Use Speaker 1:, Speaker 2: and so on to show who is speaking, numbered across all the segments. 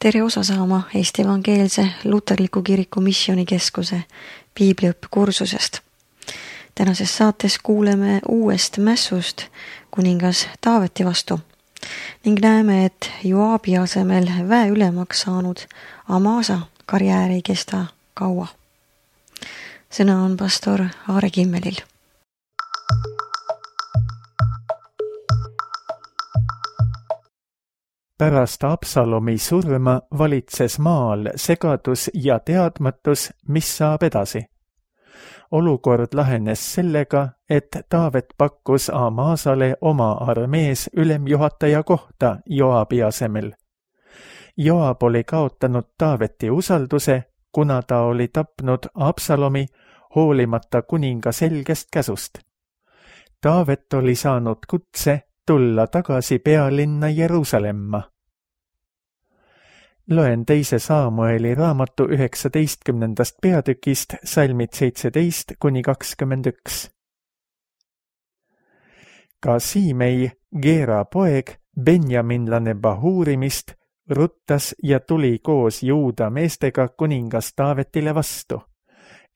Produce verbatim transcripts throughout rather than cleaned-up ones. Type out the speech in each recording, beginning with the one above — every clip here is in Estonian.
Speaker 1: tere osa saama Eesti Evangeelse Luterliku Kiriku Missioonikeskuse piibliõppekursusest. Tänases saates kuuleme uuest mässust kuningas Taaveti vastu ning näeme, et Joabi asemel väeülemaks saanud Amasa karjäär ei kesta kaua. Sõna on pastor Aare Kimmelil.
Speaker 2: Pärast Absalomi surma valitses maal segadus ja teadmatus, mis saab edasi. Olukord lahenes sellega, et Taavet pakkus Amasale oma armees ülemjuhataja kohta Joabi asemel. Joab oli kaotanud Taaveti usalduse, kuna ta oli tapnud Absalomi hoolimata kuninga selgest käsust. Taavet oli saanud kutse tulla tagasi pealinna Jeruusalemma. Loen teise Saamueli raamatu üheksateistkümnendast peatükist salmid seitseteist kuni kakskümmend üks. Ka Siimei, Geera poeg, benjaminlane Bahurimist, ruttas ja tuli koos Juuda meestega kuningas Taavetile vastu.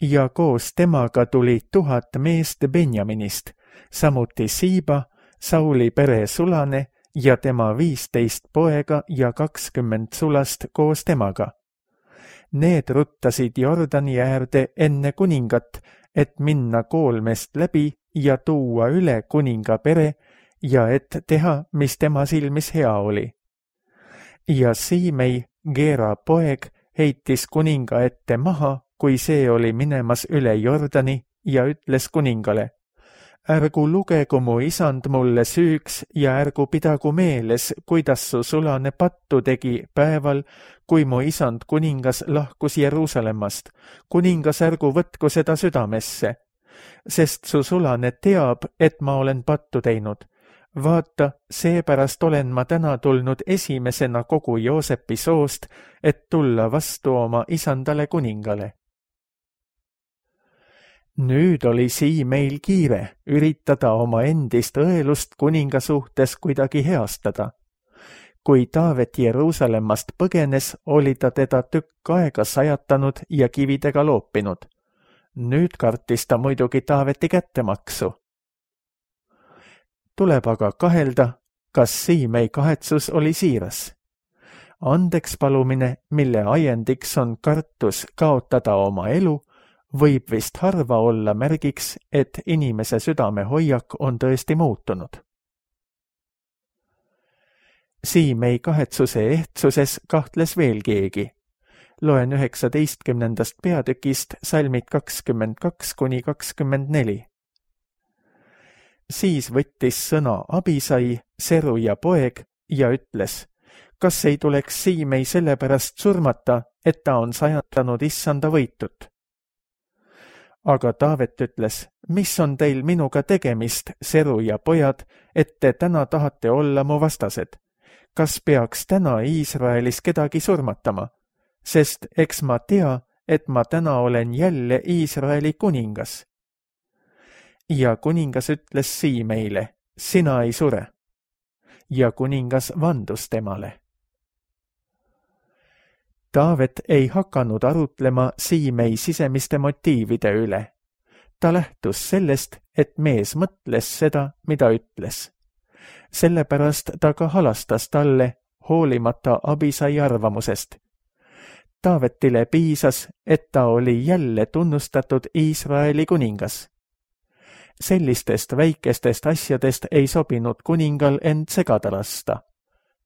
Speaker 2: Ja koos temaga tuli tuhat meest Benjaminist, samuti Siiba, Sauli pere sulane ja tema viisteist poega ja kakskümmend sulast koos temaga. Need ruttasid Jordani äärde enne kuningat, et minna koolmest läbi ja tuua üle kuninga pere ja et teha, mis tema silmis hea oli. Ja Siimei, Geera poeg, heitis kuninga ette maha, kui see oli minemas üle Jordani ja ütles kuningale: ärgu lugegu mu isand mulle süüks ja ärgu pidagu meeles, kuidas su sulane pattu tegi päeval, kui mu isand kuningas lahkus Jeruusalemmast. Kuningas ärgu võtku seda südamesse, sest su sulane teab, et ma olen pattu teinud. Vaata, seepärast olen ma täna tulnud esimesena kogu Joosepi soost, et tulla vastu oma isandale kuningale. Nüüd oli Siimeil kiire üritada oma endist õelust kuninga suhtes kuidagi heastada. Kui Taavet Jeruusalemmast põgenes, oli ta teda tükk aega sajatanud ja kividega loopinud. Nüüd kartis ta muidugi Taaveti kättemaksu. Tuleb aga kahelda, kas Siimei kahetsus oli siiras. Andeks palumine, mille ajendiks on kartus kaotada oma elu, võib vist harva olla märgiks, et inimese südame hoiak on tõesti muutunud. Siimei kahetsuse ehtsuses kahtles veel keegi. Loen üheksateistkümnendast peatükist salmid kakskümmend kaks kuni kakskümmend neli. Siis võttis sõna Abisai, Seruja poeg, ja ütles: kas ei tuleks Siimei sellepärast surmata, et ta on sajatanud issanda võitut? Aga Taavet ütles: mis on teil minuga tegemist, Seruja pojad, et te täna tahate olla mu vastased? Kas peaks täna Iisraelis kedagi surmatama? Sest eks ma tea, et ma täna olen jälle Iisraeli kuningas. Ja kuningas ütles Siimeile: sina ei sure. Ja kuningas vandus temale. Taavet ei hakanud arutlema Siimei sisemiste motiivide üle. Ta lähtus sellest, et mees mõtles seda, mida ütles. Sellepärast ta ka halastas talle, hoolimata Abisai arvamusest. Taavetile piisas, et ta oli jälle tunnustatud Iisraeli kuningas. Sellistest väikestest asjadest ei sobinud kuningal end segada lasta.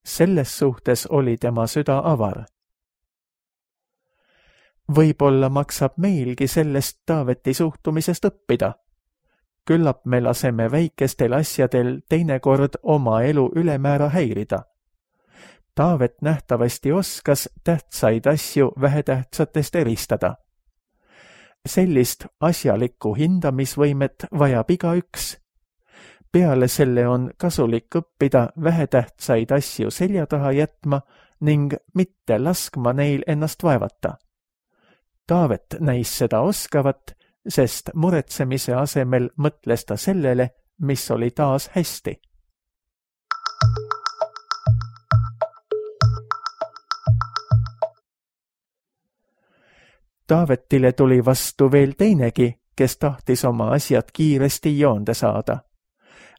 Speaker 2: Selles suhtes oli tema süda avar. Võib-olla maksab meilgi sellest Taaveti suhtumisest õppida. Küllap me laseme väikestel asjadel teinekord oma elu ülemäära häirida. Taavet nähtavasti oskas tähtsaid asju vähetähtsatest eristada. Sellist asjalikku hindamisvõimet vajab igaüks. Peale selle on kasulik õppida vähetähtsaid asju selja taha jätma ning mitte laskma neil ennast vaevata. Taavet näis seda oskavat, sest muretsemise asemel mõtles ta sellele, mis oli taas hästi. Taavetile tuli vastu veel teinegi, kes tahtis oma asjad kiiresti joonde saada.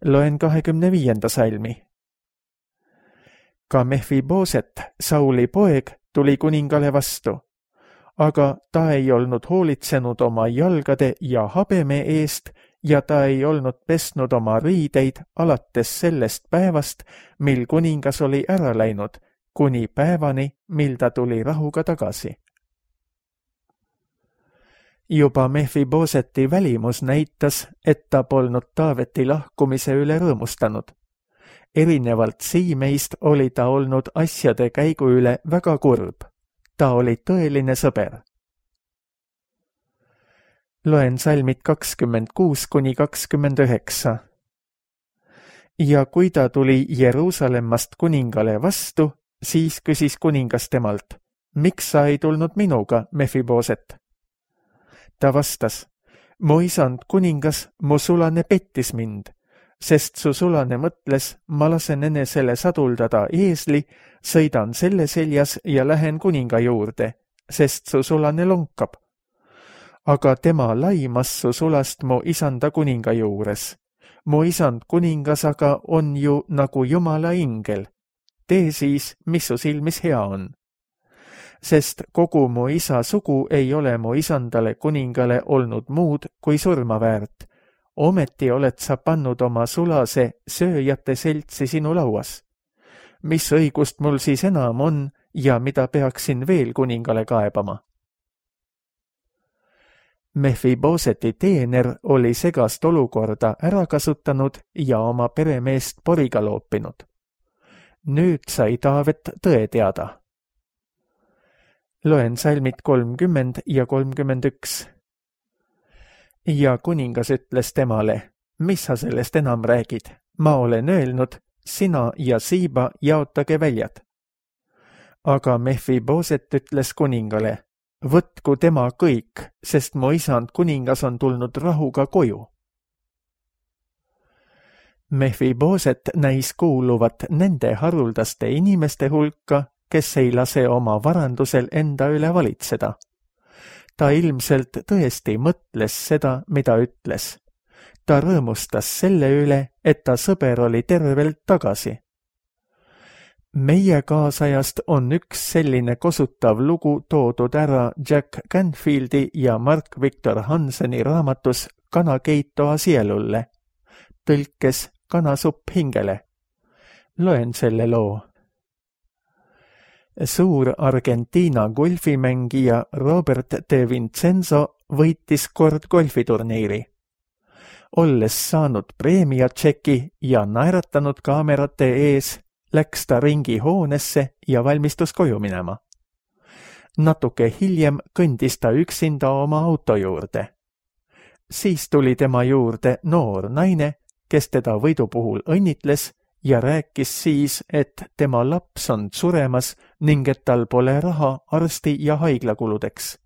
Speaker 2: Loen kahekümne viienda salmi. Ka Mephiboset, Sauli poeg, tuli kuningale vastu, aga ta ei olnud hoolitsenud oma jalgade ja habeme eest ja ta ei olnud pesnud oma riideid alates sellest päevast, mil kuningas oli ära läinud, kuni päevani, mil ta tuli rahuga tagasi. Juba Mephiboseti välimus näitas, et ta polnud Taaveti lahkumise üle rõõmustanud. Erinevalt Siimeist oli ta olnud asjade käigu üle väga kurb. Ta oli tõeline sõber. Loen salmid kakskümmend kuus kuni kakskümmend üheksa. Ja kui ta tuli Jeruusalemmast kuningale vastu, siis küsis kuningas temalt, miks sa ei tulnud minuga, Mephiboset? Ta vastas, mu isand kuningas, mu sulane pettis mind, sest su sulane mõtles, ma lasen enesele saduldada eesli, sõidan selle seljas ja lähen kuninga juurde, sest su sulane lonkab. Aga tema laimas su sulast mu isanda kuninga juures. Mu isand kuningas aga on ju nagu Jumala ingel. Tee siis, mis su silmis hea on. Sest kogu mu isa sugu ei ole mu isandale kuningale olnud muud kui surma väärt. Ometi oled sa pannud oma sulase sööjate seltsi sinu lauas. Mis õigust mul siis enam on ja mida peaksin veel kuningale kaebama? Mephiboseti teener oli segast olukorda ära kasutanud ja oma peremeest poriga loopinud. Nüüd sai Taavet tõe teada. Loen salmid kolmkümmend ja kolmkümmend üks. Ja kuningas ütles temale, mis sa sellest enam räägid? Ma olen öelnud, sina ja Siiba jaotage väljad. Aga Mephiboset ütles kuningale, võtku tema kõik, sest mu isand kuningas on tulnud rahuga koju. Mephiboset näis kuuluvat nende haruldaste inimeste hulka, kes ei lase oma varandusel enda üle valitseda. Ta ilmselt tõesti mõtles seda, mida ütles. Ta rõõmustas selle üle, et ta sõber oli tervelt tagasi. Meie kaasajast on üks selline kosutav lugu toodud ära Jack Canfieldi ja Mark Victor Hanseni raamatus Kana keitoa sielulle, tõlkes Kanasupp hingele. Loen selle loo. Suur Argentiina golfimängija Robert De Vincenzo võitis kord golfiturniiri. Olles saanud preemiatšeki ja naeratanud kaamerate ees, läks ta ringi hoonesse ja valmistus koju minema. Natuke hiljem kõndis ta üksinda oma auto juurde. Siis tuli tema juurde noor naine, kes teda võidu puhul õnnitles ja rääkis siis, et tema laps on suremas ning et tal pole raha arsti ja haiglakuludeks.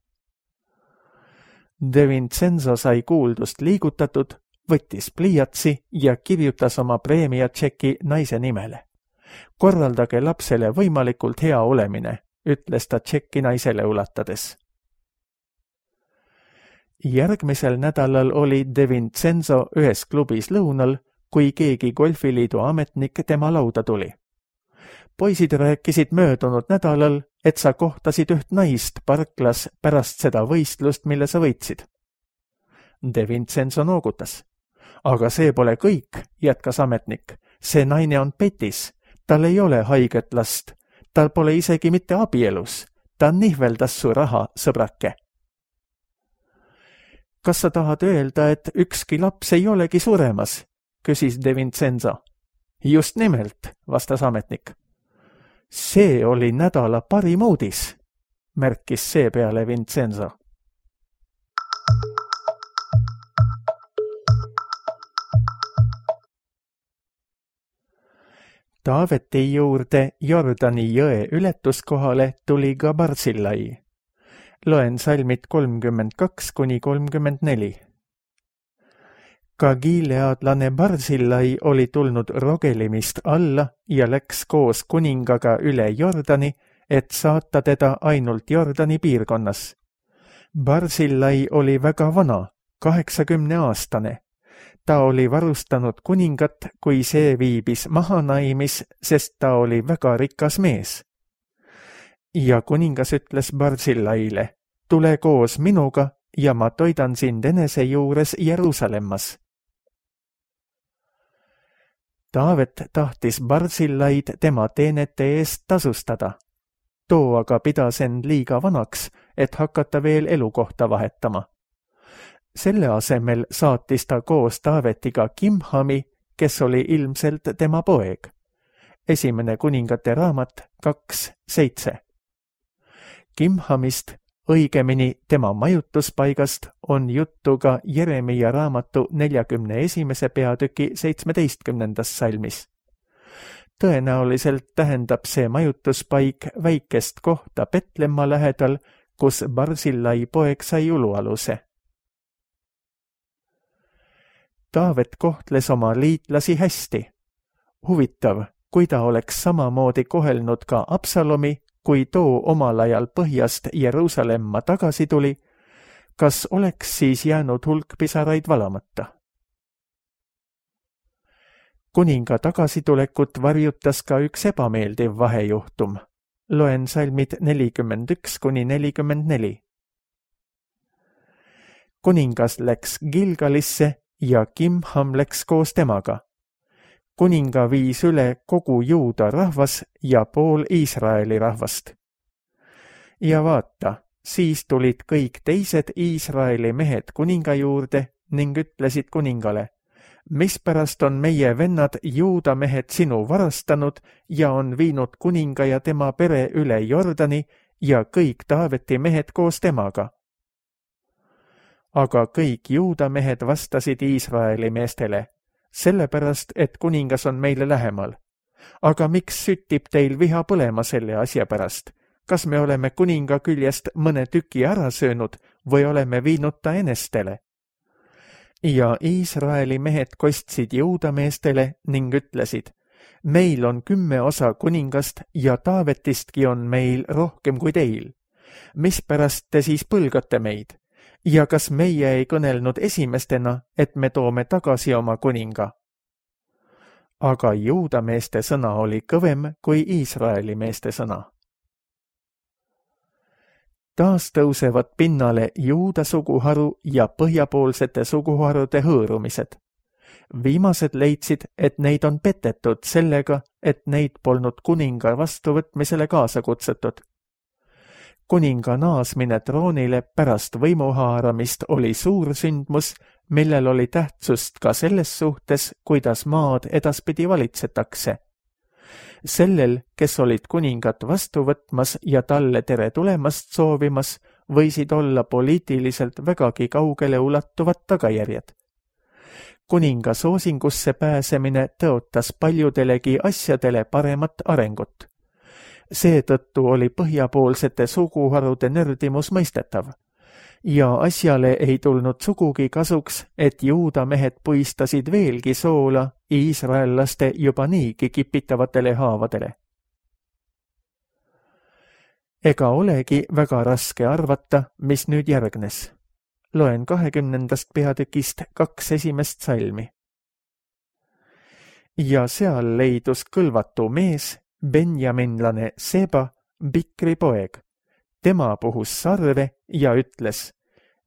Speaker 2: De Vincenzo sai kuuldust liigutatud, võttis pliiatsi ja kirjutas oma preemiatšeki naise nimele. Korraldage lapsele võimalikult hea olemine, ütles ta tšekki naisele ulatades. Järgmisel nädalal oli De Vincenzo ühes klubis lõunal, kui keegi golfiliidu ametnik tema lauda tuli. Poisid rääkisid möödunud nädalal, et sa kohtasid üht naist parklas pärast seda võistlust, mille sa võitsid. De Vincenzo noogutas. Aga see pole kõik, jätkas ametnik. See naine on petis. Tal ei ole haiget last. Tal pole isegi mitte abielus. Ta nihveldas su raha, sõbrake. Kas sa tahad öelda, et ükski laps ei olegi suremas? Küsis De Vincenzo. Just nimelt, vastas ametnik. See oli nädala parim uudis, märkis seepeale Vincenzo. Taaveti juurde Jordani jõe ületuskohale tuli ka Barzillai. Loen salmid kolmkümmend kaks kuni kolmkümmend neli. Ka giileadlane Barzillai oli tulnud Rogelimist alla ja läks koos kuningaga üle Jordani, et saata teda ainult Jordani piirkonnas. Barzillai oli väga vana, kaheksakümne aastane. Ta oli varustanud kuningat, kui see viibis mahanaimis, sest ta oli väga rikas mees. Ja kuningas ütles Barzillaile, tule koos minuga ja ma toidan sind enese juures Jeruusalemmas. Taavet tahtis Barzillaid tema teenete eest tasustada. Too aga pidas end liiga vanaks, et hakata veel elukohta vahetama. Selle asemel saatis ta koos Taavetiga Kimhami, kes oli ilmselt tema poeg. Esimene kuningate raamat kaks seitse. Kimhamist, õigemini tema majutuspaigast, on juttu ka Jeremia raamatu neljakümne esimese peatüki seitsmeteistkümnendas salmis. Tõenäoliselt tähendab see majutuspaik väikest kohta Petlemma lähedal, kus Barzillai poeg sai ulualuse. Taavet kohtles oma liitlasi hästi. Huvitav, kui ta oleks samamoodi kohelnud ka Absalomi, kui too omal ajal põhjast Jeruusalemma tagasi tuli, kas oleks siis jäänud hulk pisaraid valamata? Kuninga tagasitulekut varjutas ka üks ebameeldiv vahejuhtum. Loen salmid nelikümmend üks kuni nelikümmend neli. Kuningas läks Gilgalisse ja Kimham läks koos temaga. Kuninga viis üle kogu Juuda rahvas ja pool Iisraeli rahvast. Ja vaata, siis tulid kõik teised Iisraeli mehed kuninga juurde ning ütlesid kuningale, mispärast on meie vennad Juuda mehed sinu varastanud ja on viinud kuninga ja tema pere üle Jordani ja kõik Taaveti mehed koos temaga. Aga kõik Juuda mehed vastasid Iisraeli meestele, sellepärast, et kuningas on meile lähemal. Aga miks süttib teil viha põlema selle asja pärast? Kas me oleme kuninga küljest mõne tüki ära söönud või oleme viinud ta enestele? Ja Iisraeli mehed kostsid Juuda meestele ning ütlesid, meil on kümme osa kuningast ja Taavetistki on meil rohkem kui teil. Mispärast te siis põlgate meid? Ja kas meie ei kõnelnud esimestena, et me toome tagasi oma kuninga? Aga Juuda meeste sõna oli kõvem kui Iisraeli meeste sõna. Taas tõusevad pinnale Juuda suguharu ja põhjapoolsete suguharude hõõrumised. Viimased leidsid, et neid on petetud sellega, et neid polnud kuninga vastuvõtmisele kaasa kutsutud. Kuninga naasmine troonile pärast võimuhaaramist oli suur sündmus, millel oli tähtsust ka selles suhtes, kuidas maad edaspidi valitsetakse. Sellel, kes olid kuningat vastu võtmas ja talle tere tulemast soovimas, võisid olla poliitiliselt vägagi kaugele ulatuvad tagajärjed. Kuninga soosingusse pääsemine tõotas paljudelegi asjadele paremat arengut. Seetõttu oli põhjapoolsete suguharude nördimus mõistetav. Ja asjale ei tulnud sugugi kasuks, et Juuda mehed puistasid veelgi soola iisraellaste juba niigi kipitavatele haavadele. Ega olegi väga raske arvata, mis nüüd järgnes. Loen kahekümnendast peatükist kaks esimest salmi. Ja seal leidus kõlvatu mees, benjaminlane Seba, Bikri poeg. Tema puhus sarve ja ütles,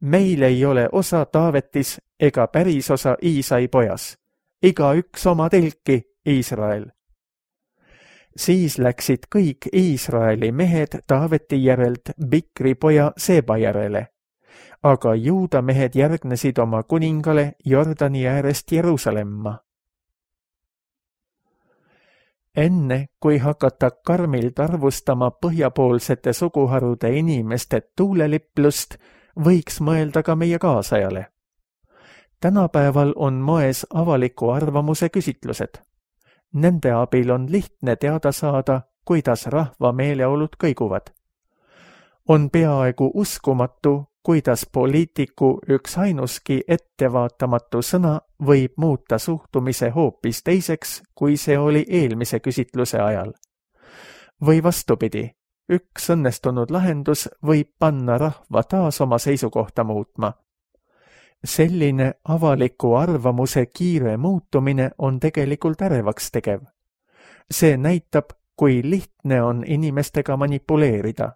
Speaker 2: meil ei ole osa Taavetis ega päris osa Iisai pojas, iga üks oma telki, Iisrael. Siis läksid kõik Iisraeli mehed Taaveti järelt Bikri poja Seba järele, aga Juuda mehed järgnesid oma kuningale Jordani äärest Jeruusalemma. Enne, kui hakata karmilt arvustama põhjapoolsete suguharude inimeste tuuleliplust, võiks mõelda ka meie kaasajale. Tänapäeval on moes avaliku arvamuse küsitlused. Nende abil on lihtne teada saada, kuidas rahva meeleolud kõiguvad. On peaaegu uskumatu, kuidas poliitiku üks ainuski ettevaatamatu sõna võib muuta suhtumise hoopis teiseks, kui see oli eelmise küsitluse ajal. Või vastupidi, üks õnnestunud lahendus võib panna rahva taas oma seisukohta muutma. Selline avaliku arvamuse kiire muutumine on tegelikult ärevaks tegev. See näitab, kui lihtne on inimestega manipuleerida.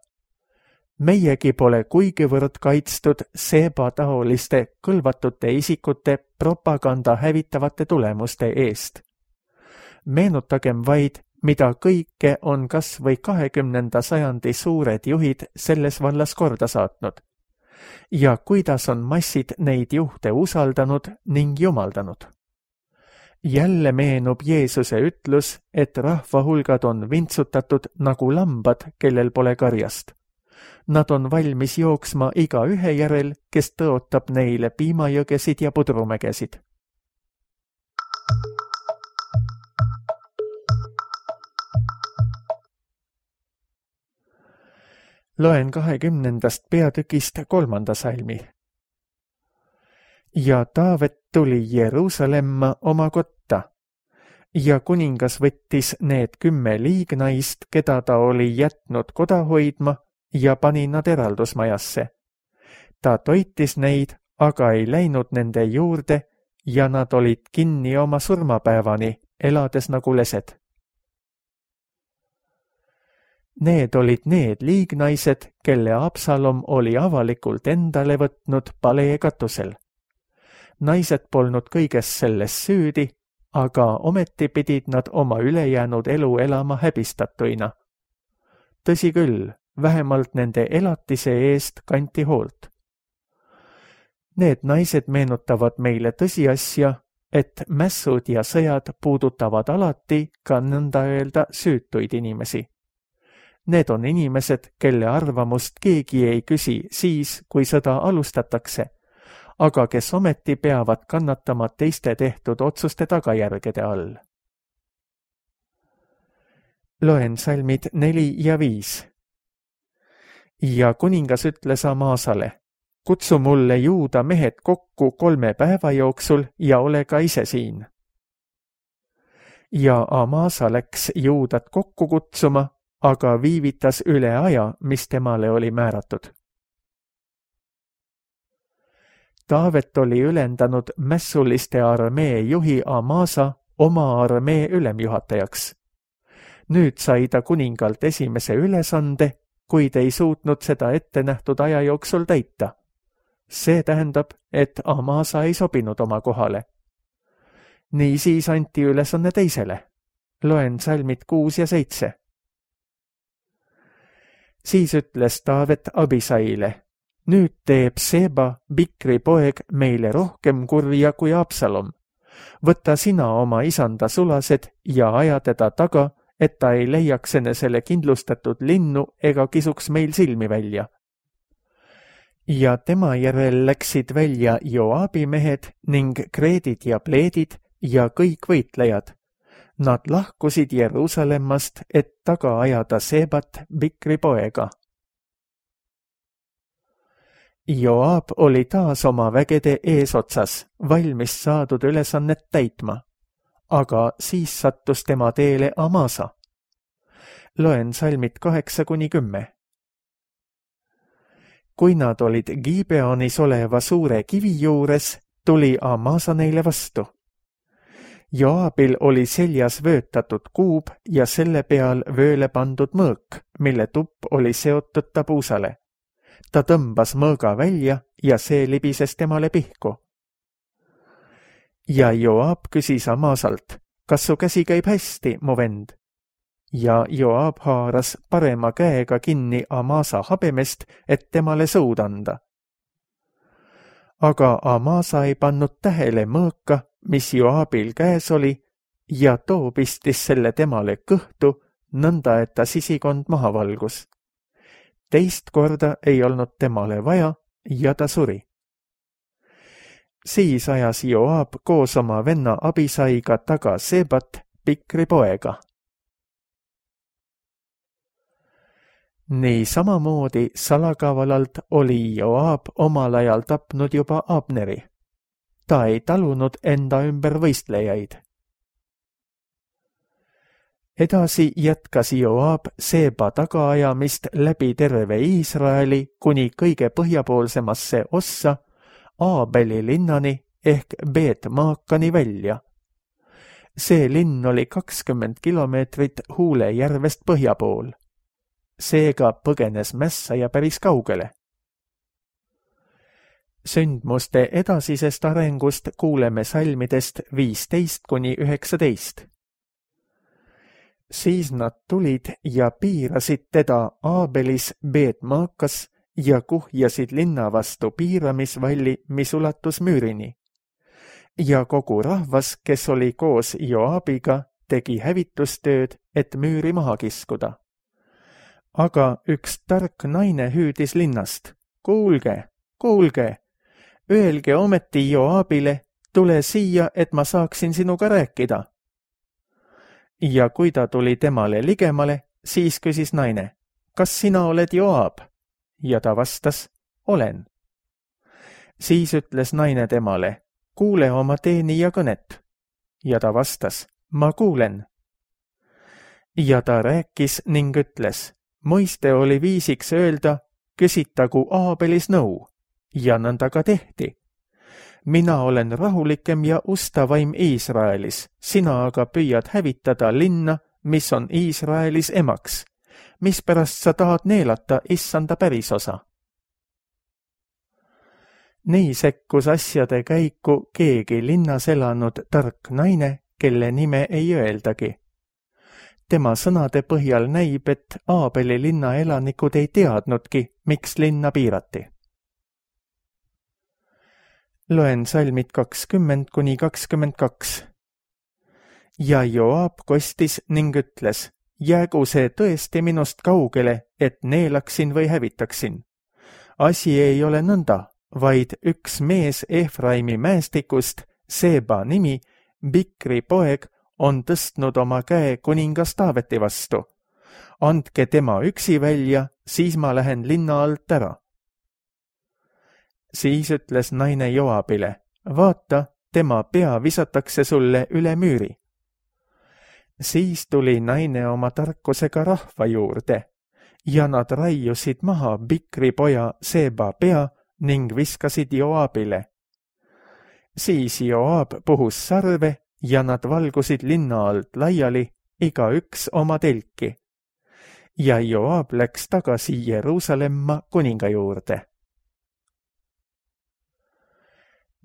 Speaker 2: Meiegi pole kuigivõrd kaitstud seebataoliste kõlvatute isikute propaganda hävitavate tulemuste eest. Meenutagem vaid, mida kõike on kas või kahekümnenda sajandi suured juhid selles vallas korda saatnud ja kuidas on massid neid juhte usaldanud ning jumaldanud. Jälle meenub Jeesuse ütlus, et rahvahulgad on vintsutatud nagu lambad, kellel pole karjast. Nad on valmis jooksma iga ühe järel, kes tõotab neile piimajõgesid ja pudrumägesid. Loen kahekümnendast peatükist kolmanda salmi. Ja Taavet tuli Jeruusalemma oma kotta, ja kuningas võttis need kümme liignaist, keda ta oli jätnud koda hoidma, ja pani nad eraldusmajasse. Ta toitis neid, aga ei läinud nende juurde, ja nad olid kinni oma surmapäevani, elades nagu lesed. Need olid need liignaised, kelle Absalom oli avalikult endale võtnud palee katusel. Naised polnud kõiges selles süüdi, aga ometi pidid nad oma ülejäänud elu elama häbistatuina. Tõsi küll, vähemalt nende elatise eest kanti hoolt. Need naised meenutavad meile tõsiasja, et mässud ja sõjad puudutavad alati ka nõnda öelda süütuid inimesi. Need on inimesed, kelle arvamust keegi ei küsi siis, kui sõda alustatakse, aga kes ometi peavad kannatama teiste tehtud otsuste tagajärgede all. Loen salmid neli ja viis. Ja kuningas ütles Amasale, kutsu mulle juuda mehed kokku kolme päeva jooksul ja ole ka ise siin. Ja Amasa läks juudat kokku kutsuma, aga viivitas üle aja, mis temale oli määratud. Taavet oli ülendanud mässuliste armee juhi Amasa oma armee ülemjuhatajaks. Nüüd sai ta kuningalt esimese ülesande, kuid ei suutnud seda ette nähtud aja jooksul täita. See tähendab, et Amasa ei sobinud oma kohale. Nii siis anti ülesanne teisele. Loen salmid kuus ja seitse. Siis ütles Taavet Abisaile, nüüd teeb Seba, Bikri poeg, meile rohkem kurja kui Absalom. Võta sina oma isanda sulased ja aja teda taga, et ta ei leiaks enesele kindlustatud linnu ega kisuks meil silmi välja. Ja tema järel läksid välja Joabi mehed ning kreedid ja pleedid ja kõik võitlejad. Nad lahkusid Jeruusalemmast, et taga ajada Sebat, Bikri poega. Joab oli taas oma vägede eesotsas, valmis saadud ülesannet täitma, aga siis sattus tema teele Amasa. Loen salmid kaheksa kuni kümme. Kui nad olid Gibeonis oleva suure kivi juures, tuli Amasa neile vastu. Joabil oli seljas vöötatud kuub ja selle peal vööle pandud mõõk, mille tupp oli seotud tabuusale. Ta tõmbas mõõga välja ja see libises temale pihku. Ja Joab küsis Amasalt, kas su käsi käib hästi, mu vend? Ja Joab haaras parema käega kinni Amasa habemest, et temale sõud anda. Aga Amasa ei pannud tähele mõõka, mis Joabil käes oli, ja too pistis selle temale kõhtu, nõnda et ta sisikond maha valgus. Teist korda ei olnud temale vaja ja ta suri. Siis ajas Joab koos oma venna Abisaiga taga Sebat, Bikri poega. Nii samamoodi salakavalalt oli Joab omal ajal tapnud juba Abneri. Ta ei talunud enda ümber võistlejaid. Edasi jätkas Joab Seeba tagaajamist läbi terve Iisraeli kuni kõige põhjapoolsemasse ossa Aabeli linnani ehk Beet-Maakani välja. See linn oli kakskümmend kilomeetrit Huule järvest põhja pool. Seega põgenes mässaja päris kaugele. Sündmuste edasisest arengust kuuleme salmidest viisteist kuni üheksateist. Siis nad tulid ja piirasid teda Aabelis Beet-Maakas ja kuhjasid linna vastu piiramisvalli, mis ulatus müürini. Ja kogu rahvas, kes oli koos Joabiga, tegi hävitustööd, et müüri maha kiskuda. Aga üks tark naine hüüdis linnast, kuulge, kuulge, öelge ometi Joabile, tule siia, et ma saaksin sinuga rääkida. Ja kui ta tuli temale ligemale, siis küsis naine, kas sina oled Joab? Ja ta vastas, olen. Siis ütles naine temale, kuule oma teenija kõnet. Ja ta vastas, ma kuulen. Ja ta rääkis ning ütles, mõiste oli viisiks öelda, küsitagu Aabelis nõu, ja nõnda ka tehti. Mina olen rahulikem ja ustavaim Iisraelis, sina aga püüad hävitada linna, mis on Iisraelis emaks, mispärast sa tahad neelata issanda pärisosa. Nii sekkus asjade käiku keegi linnas elanud tark naine, kelle nime ei öeldagi. Tema sõnade põhjal näib, et Aabeli linna elanikud ei teadnudki, miks linna piirati. Loen salmid kakskümmend kuni kakskümmend kaks. Ja Joab kostis ning ütles, jäägu see tõesti minust kaugele, et neelaksin või hävitaksin. Asi ei ole nõnda, vaid üks mees Efraimi mäestikust, Seeba nimi, Bikri poeg, on tõstnud oma käe kuningas Taaveti vastu. Andke tema üksi välja, siis ma lähen linna alt ära. Siis ütles naine Joabile, vaata, tema pea visatakse sulle üle müüri. Siis tuli naine oma tarkusega rahva juurde ja nad raiusid maha Bikri poja Seeba pea ning viskasid Joabile. Siis Joab puhus sarve ja nad valgusid linna alt laiali, iga üks oma telki. Ja Joab läks tagasi Jeruusalemma kuninga juurde.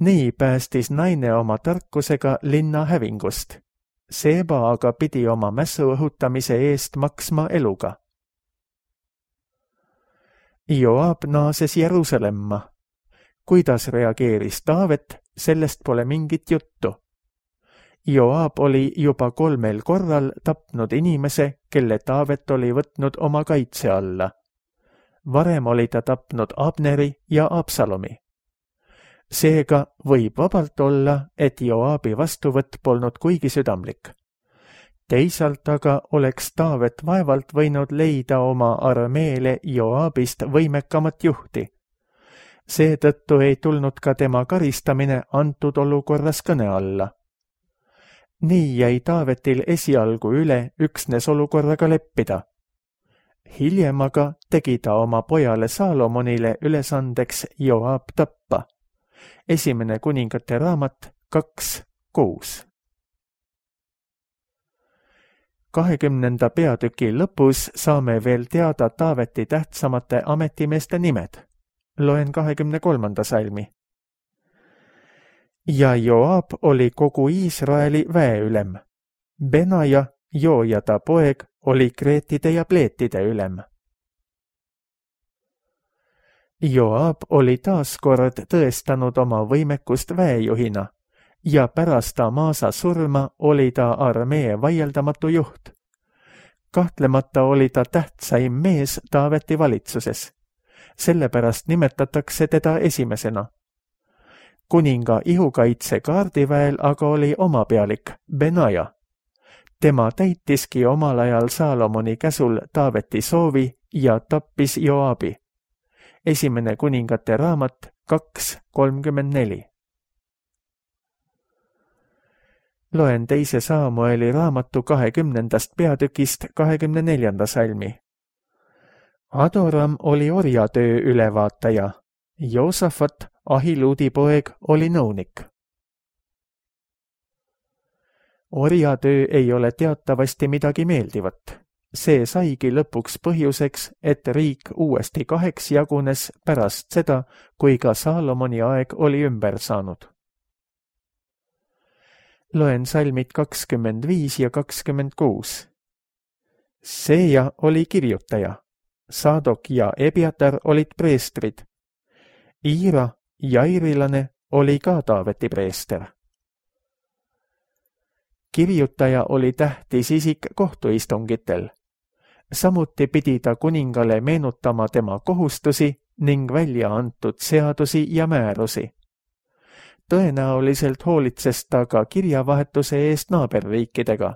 Speaker 2: Nii päästis naine oma tarkusega linna hävingust. Seeba aga pidi oma mässu õhutamise eest maksma eluga. Joab naases Jeruusalemma. Kuidas reageeris Taavet, sellest pole mingit juttu. Joab oli juba kolmel korral tapnud inimese, kelle Taavet oli võtnud oma kaitse alla. Varem oli ta tapnud Abneri ja Absalomi. Seega võib vabalt olla, et Joabi vastuvõtt polnud kuigi südamlik. Teisalt aga oleks Taavet vaevalt võinud leida oma armeele Joabist võimekamat juhti. Seetõttu ei tulnud ka tema karistamine antud olukorras kõne alla. Nii jäi Taavetil esialgu üle üksnes olukorraga leppida. Hiljem aga tegi ta oma pojale Saalomonile ülesandeks Joab tappa. Esimene kuningate raamat kaks kuus. Kahekümnenda peatüki lõpus saame veel teada Taaveti tähtsamate ametimeeste nimed. Loen kahekümne kolmanda salmi. Ja Joab oli kogu Iisraeli väeülem. Benaja, Joojada poeg, oli kreetide ja pleetide ülem. Joab oli taaskord tõestanud oma võimekust väejuhina ja pärast Amasa surma oli ta armee vaieldamatu juht. Kahtlemata oli ta tähtsaim mees Taaveti valitsuses. Sellepärast nimetatakse teda esimesena. Kuninga ihukaitse kaardiväel aga oli oma pealik, Benaja. Tema täitiski omal ajal Saalomoni käsul Taaveti soovi ja tappis Joabi. Esimene kuningate raamat kaks kolmkümmend neli. Loen teise Saamueli raamatu kahekümnendast peatükist kahekümne neljanda salmi. Adoram oli orjatöö ülevaataja, Joosafat, Ahiluudi poeg, oli nõunik. Orjatöö ei ole teatavasti midagi meeldivat. See saigi lõpuks põhjuseks, et riik uuesti kaheks jagunes pärast seda, kui ka Saalomoni aeg oli ümber saanud. Loen salmid kakskümmend viis ja kakskümmend kuus. Seeja oli kirjutaja, Saadok ja Ebiatar olid preestrid. Iira, jairilane, oli ka Taaveti preester. Kirjutaja oli tähtis isik kohtuistungitel. Samuti pidi ta kuningale meenutama tema kohustusi ning välja antud seadusi ja määrusi. Tõenäoliselt hoolitses ta ka kirjavahetuse eest naaberriikidega.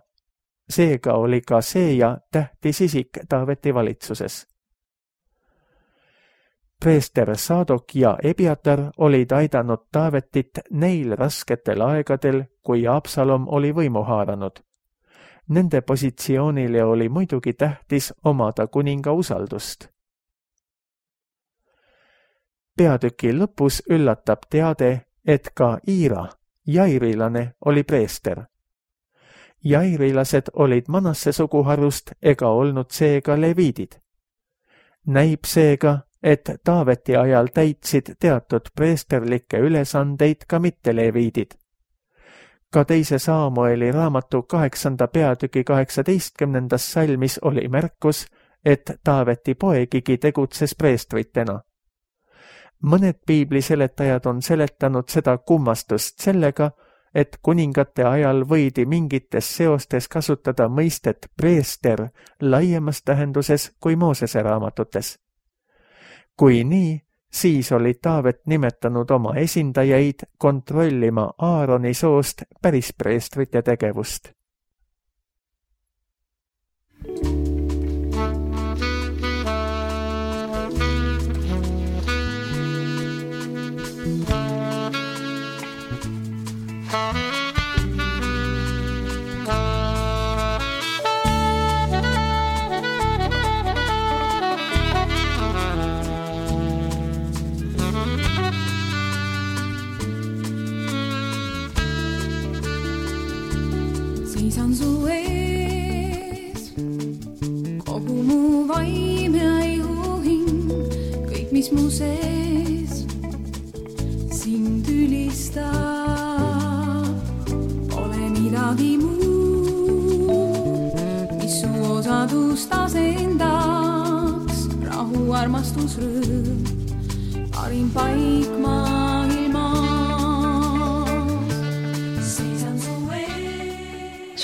Speaker 2: Seega oli ka Seeja tähtis isik Taaveti valitsuses. Preester Saadok ja Ebiatar olid aidanud Taavetit neil rasketel aegadel, kui Absalom oli võimu haaranud. Nende positsioonile oli muidugi tähtis omada kuninga usaldust. Peatüki lõpus üllatab teade, et ka Iira, jairilane, oli preester. Jairilased olid Manasse suguharust ega olnud seega leviidid. Näib seega, et Taaveti ajal täitsid teatud preesterlikke ülesandeid ka mitteleviidid. Ka teise Saamueli raamatu kaheksanda peatüki kaheksateistkümnendas salmis oli märkus, et Taaveti poegigi tegutses preestritena. Mõned piibliseletajad on seletanud seda kummastust sellega, et kuningate ajal võidi mingites seostes kasutada mõistet preester laiemas tähenduses kui Moosese raamatutes. Kui nii, siis oli Taavet nimetanud oma esindajaid kontrollima Aaroni soost päris preestrite tegevust.
Speaker 3: Seisan su ees, kogu mu vaim ja ihuhing, kõik mis mu sees sind ülistab, pole midagi muud, mis su osadust asendaks, rahu, armastus, rõõm, parim paik maailmas.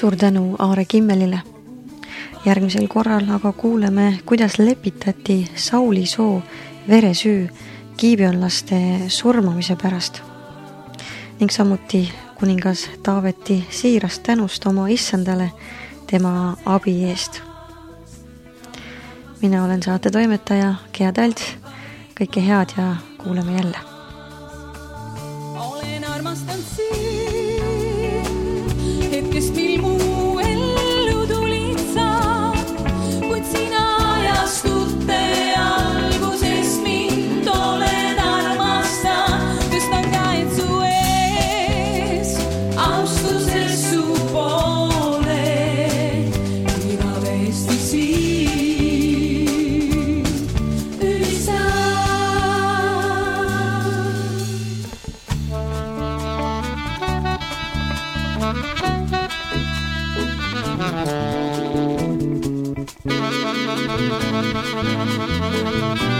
Speaker 1: Suur tänu Aare Kimmelile. Järgmisel korral aga kuuleme, kuidas lepitati Sauli soo veresüü giibionlaste surmamise pärast ning samuti kuningas Taaveti siirast tänust oma issandale tema abi eest. Mina olen saate toimetaja Gea Talts. Kõike head ja kuuleme jälle.
Speaker 3: Olen armastanud sind, hetkest mil mu ellu tulid sa, kuid sina ajastute algusest mind olen armastanud, tõstan käed su ees, austuses su poole, igavesti siin ülistan. Thank you.